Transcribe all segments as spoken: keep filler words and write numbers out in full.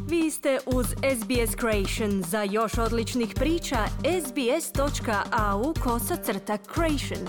Vi ste uz S B S Creation. Za još odličnih priča, sbs.au kosacrta Creation.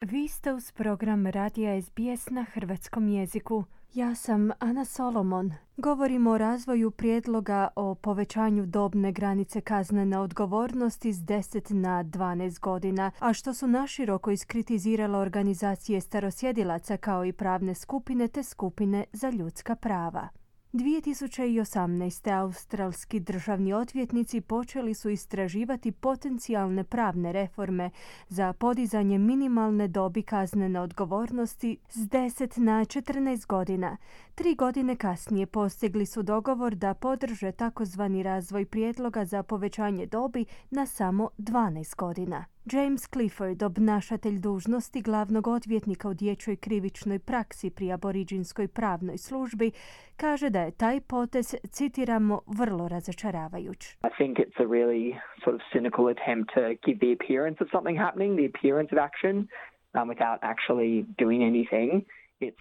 Vi ste uz program radija S B S na hrvatskom jeziku. Ja sam Ana Solomon. Govorimo o razvoju prijedloga o povećanju dobne granice kaznene odgovornosti s deset na dvanaest godina, a što su naširoko iskritizirale organizacije starosjedilaca kao i pravne skupine te skupine za ljudska prava. dvije tisuće osamnaeste. australski državni odvjetnici počeli su istraživati potencijalne pravne reforme za podizanje minimalne dobi kaznene odgovornosti s deset na četrnaest godina. Tri godine kasnije postigli su dogovor da podrže takozvani razvoj prijedloga za povećanje dobi na samo dvanaest godina. James Clifford, obnašatelj dužnosti glavnog odvjetnika u dječjoj krivičnoj praksi pri aboriđinskoj pravnoj službi, kaže da je taj potez, citiramo, vrlo razočaravajuć. I think it's a really sort of cynical attempt to give the appearance of something happening, the appearance of action, um, without actually doing anything.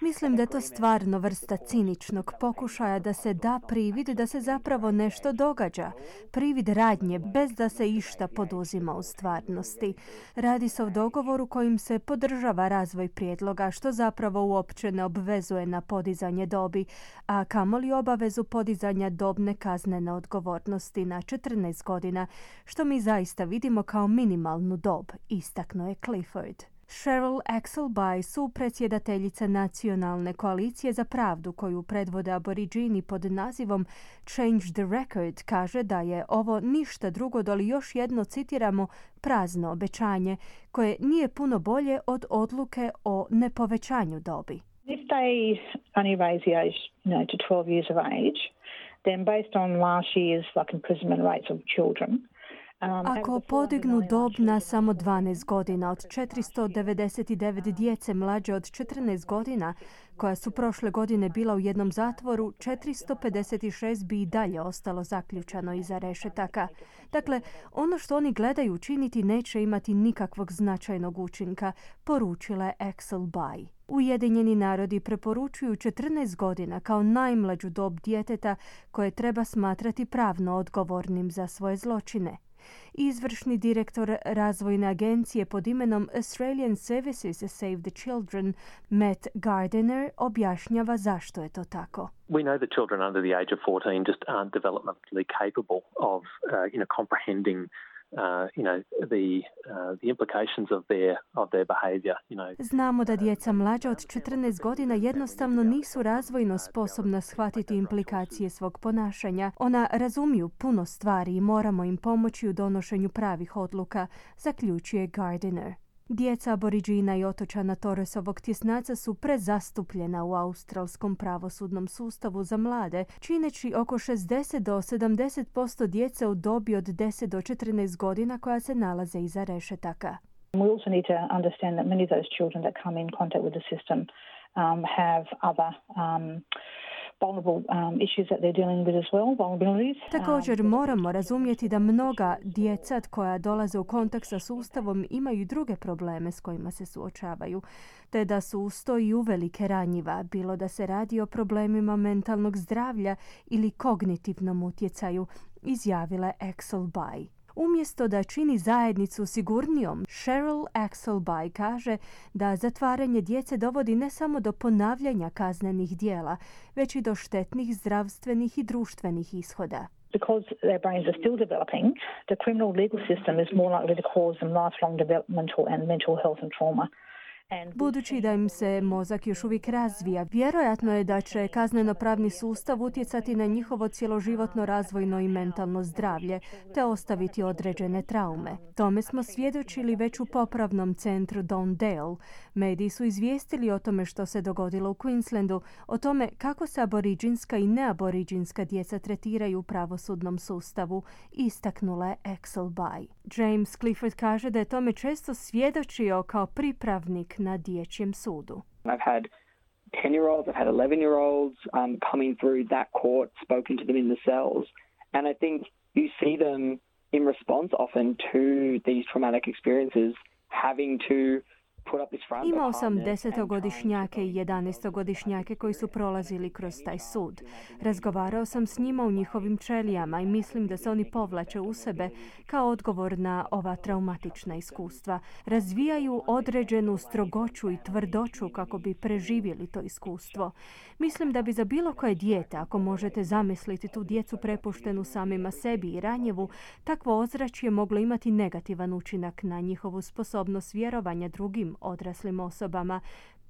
Mislim da je to stvarno vrsta ciničnog pokušaja da se da privid da se zapravo nešto događa. Privid radnje bez da se išta poduzima u stvarnosti. Radi se o dogovoru kojim se podržava razvoj prijedloga, što zapravo uopće ne obvezuje na podizanje dobi, a kamoli obavezu podizanja dobne kaznene odgovornosti na četrnaest godina, što mi zaista vidimo kao minimalnu dob, istaknuo je Clifford. Cheryl Axelby, supredsjedateljica Nacionalne koalicije za pravdu koju predvode aboriđini pod nazivom Change the Record, kaže da je ovo ništa drugo doli još jedno, citiramo, prazno obećanje koje nije puno bolje od odluke o nepovećanju dobi. If they only raise the age, you know, to twelve years of age, then based on last year's like imprisonment rates of children, Ako podignu dob na samo dvanaest godina od četiristo devedeset devet djece mlađe od četrnaest godina, koja su prošle godine bila u jednom zatvoru, četiristo pedeset šest bi i dalje ostalo zaključano iza rešetaka. Dakle, ono što oni gledaju učiniti neće imati nikakvog značajnog učinka, poručila je Axelby. Ujedinjeni narodi preporučuju četrnaest godina kao najmlađu dob djeteta koje treba smatrati pravno odgovornim za svoje zločine. Izvršni direktor razvojne agencije pod imenom Australian Services Save the Children, Matt Gardiner, objašnjava zašto je to tako. We know that children under the age of fourteen just aren't developmentally capable of, uh, you know, comprehending Uh, you know, the, uh, the implications of their, of their behavior, you know. Znamo da djeca mlađa od četrnaest godina jednostavno nisu razvojno sposobna shvatiti implikacije svog ponašanja. Ona razumiju puno stvari i moramo im pomoći u donošenju pravih odluka, zaključuje Gardiner. Djeca aboriđina i otočana Torresovog tjesnaca su prezastupljena u australskom pravosudnom sustavu za mlade, čineći oko šezdeset do sedamdeset posto djece u dobi od deset do četrnaest godina koja se nalaze iza rešetaka. We also need to understand that many of those children that come in contact with the system um, have other um, vulnerable um, issues that they're dealing with as well, vulnerabilities. Također moramo razumjeti da mnoga djeca koja dolaze u kontakt sa sustavom imaju i druge probleme s kojima se suočavaju, te da su uz to i uvelike ranjiva, bilo da se radi o problemima mentalnog zdravlja ili kognitivnom utjecaju, izjavila je Axelby. Umjesto da čini zajednicu sigurnijom, Cheryl Axelby kaže da zatvaranje djece dovodi ne samo do ponavljanja kaznenih dijela, već i do štetnih zdravstvenih i društvenih ishoda. Because their brains are still developing, the criminal legal system is more likely to cause them lifelong developmental and mental health and trauma. Budući da im se mozak još uvijek razvija, vjerojatno je da će kazneno-pravni sustav utjecati na njihovo cjeloživotno razvojno i mentalno zdravlje, te ostaviti određene traume. Tome smo svjedočili već u popravnom centru Downdale. Mediji su izvijestili o tome što se dogodilo u Queenslandu, o tome kako se aboriđinska i neaboriđinska djeca tretiraju u pravosudnom sustavu, istaknula je Axelby. James Clifford kaže da je tome često svjedočio kao pripravnik na dječjem sudu. I've had ten-year-olds, I've had eleven-year-olds um, coming through that court, spoken to them in the cells, and I think you see them in response often to these traumatic experiences having to Imao sam desetogodišnjake i jedanaestogodišnjake koji su prolazili kroz taj sud. Razgovarao sam s njima u njihovim ćelijama i mislim da se oni povlače u sebe kao odgovor na ova traumatična iskustva. Razvijaju određenu strogoću i tvrdoću kako bi preživjeli to iskustvo. Mislim da bi za bilo koje dijete, ako možete zamisliti tu djecu prepuštenu samima sebi i ranjivu, takvo ozračje moglo imati negativan učinak na njihovu sposobnost vjerovanja drugim odraslim osobama,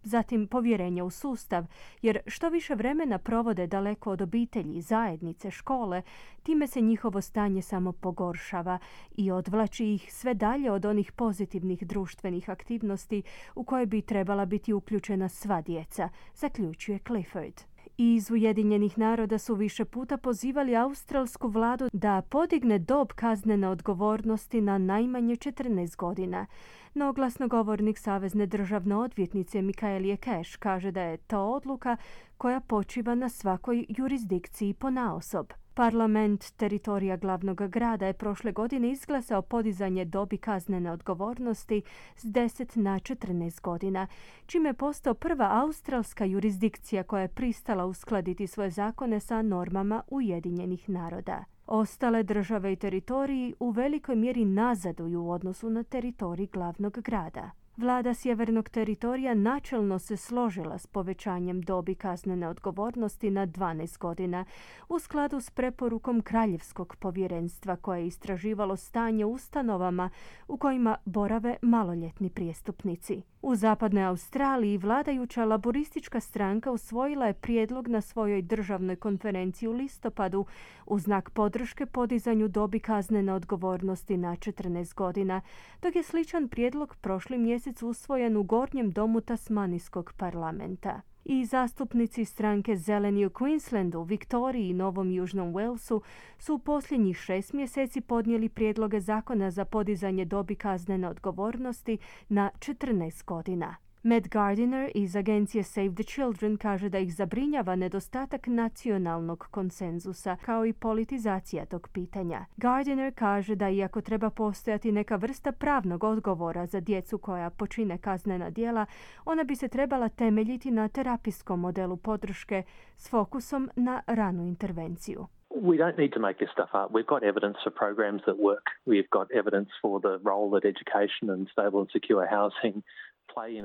zatim povjerenje u sustav, jer što više vremena provode daleko od obitelji, zajednice, škole, time se njihovo stanje samo pogoršava i odvlači ih sve dalje od onih pozitivnih društvenih aktivnosti u koje bi trebala biti uključena sva djeca, zaključuje Clifford. Iz Ujedinjenih naroda su više puta pozivali australsku vladu da podigne dob kaznene odgovornosti na najmanje četrnaest godina. No glasnogovornik Savezne državne odvjetnice Michaelie Cash kaže da je to odluka koja počiva na svakoj jurisdikciji ponaosob. Parlament teritorija glavnog grada je prošle godine izglasao podizanje dobi kaznene odgovornosti s deset na četrnaest godina, čime je postao prva australska jurisdikcija koja je pristala uskladiti svoje zakone sa normama Ujedinjenih naroda. Ostale države i teritoriji u velikoj mjeri nazaduju u odnosu na teritorij glavnog grada. Vlada Sjevernog teritorija načelno se složila s povećanjem dobi kaznene odgovornosti na dvanaest godina u skladu s preporukom Kraljevskog povjerenstva koje je istraživalo stanje u ustanovama u kojima borave maloljetni prijestupnici. U zapadnoj Australiji vladajuća laboristička stranka usvojila je prijedlog na svojoj državnoj konferenciji u listopadu u znak podrške podizanju dobi kaznene odgovornosti na četrnaest godina, dok je sličan prijedlog prošli mjesec usvojen u gornjem domu Tasmanijskog parlamenta. I zastupnici stranke Zeleni u Queenslandu, Viktoriji i Novom Južnom Walesu su u posljednjih šest mjeseci podnijeli prijedloge zakona za podizanje dobi kaznene odgovornosti na četrnaest godina. Matt Gardiner iz agencije Save the Children kaže da ih zabrinjava nedostatak nacionalnog konsenzusa kao i politizacija tog pitanja. Gardiner kaže da iako treba postojati neka vrsta pravnog odgovora za djecu koja počine kaznena djela, ona bi se trebala temeljiti na terapijskom modelu podrške s fokusom na ranu intervenciju. We don't need to make this stuff up. We've got evidence for programs that work. We've got evidence for the role that education and stable and secure housing.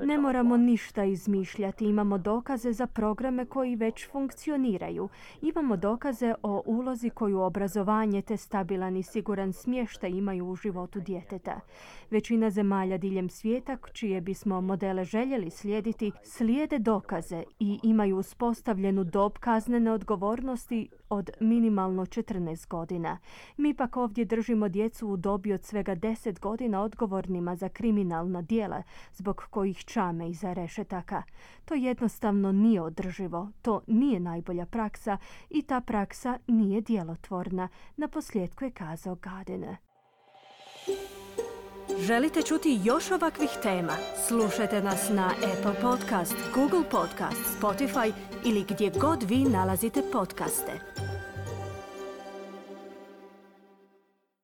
Ne moramo ništa izmišljati, imamo dokaze za programe koji već funkcioniraju. Imamo dokaze o ulozi koju obrazovanje te stabilan i siguran smještaj imaju u životu djeteta. Većina zemalja diljem svijeta, čije bismo modele željeli slijediti, slijede dokaze i imaju uspostavljenu dob kaznene odgovornosti od minimalno četrnaest godina. Mi pak ovdje držimo djecu u dobi od svega deset godina odgovornima za kriminalna djela, zbog kojih čame iza rešetaka. To jednostavno nije održivo, to nije najbolja praksa i ta praksa nije djelotvorna, naposljetku je kazao Gardiner. Želite čuti još ovakvih tema? Slušajte nas na Apple Podcast, Google Podcast, Spotify ili gdje god vi nalazite podcaste.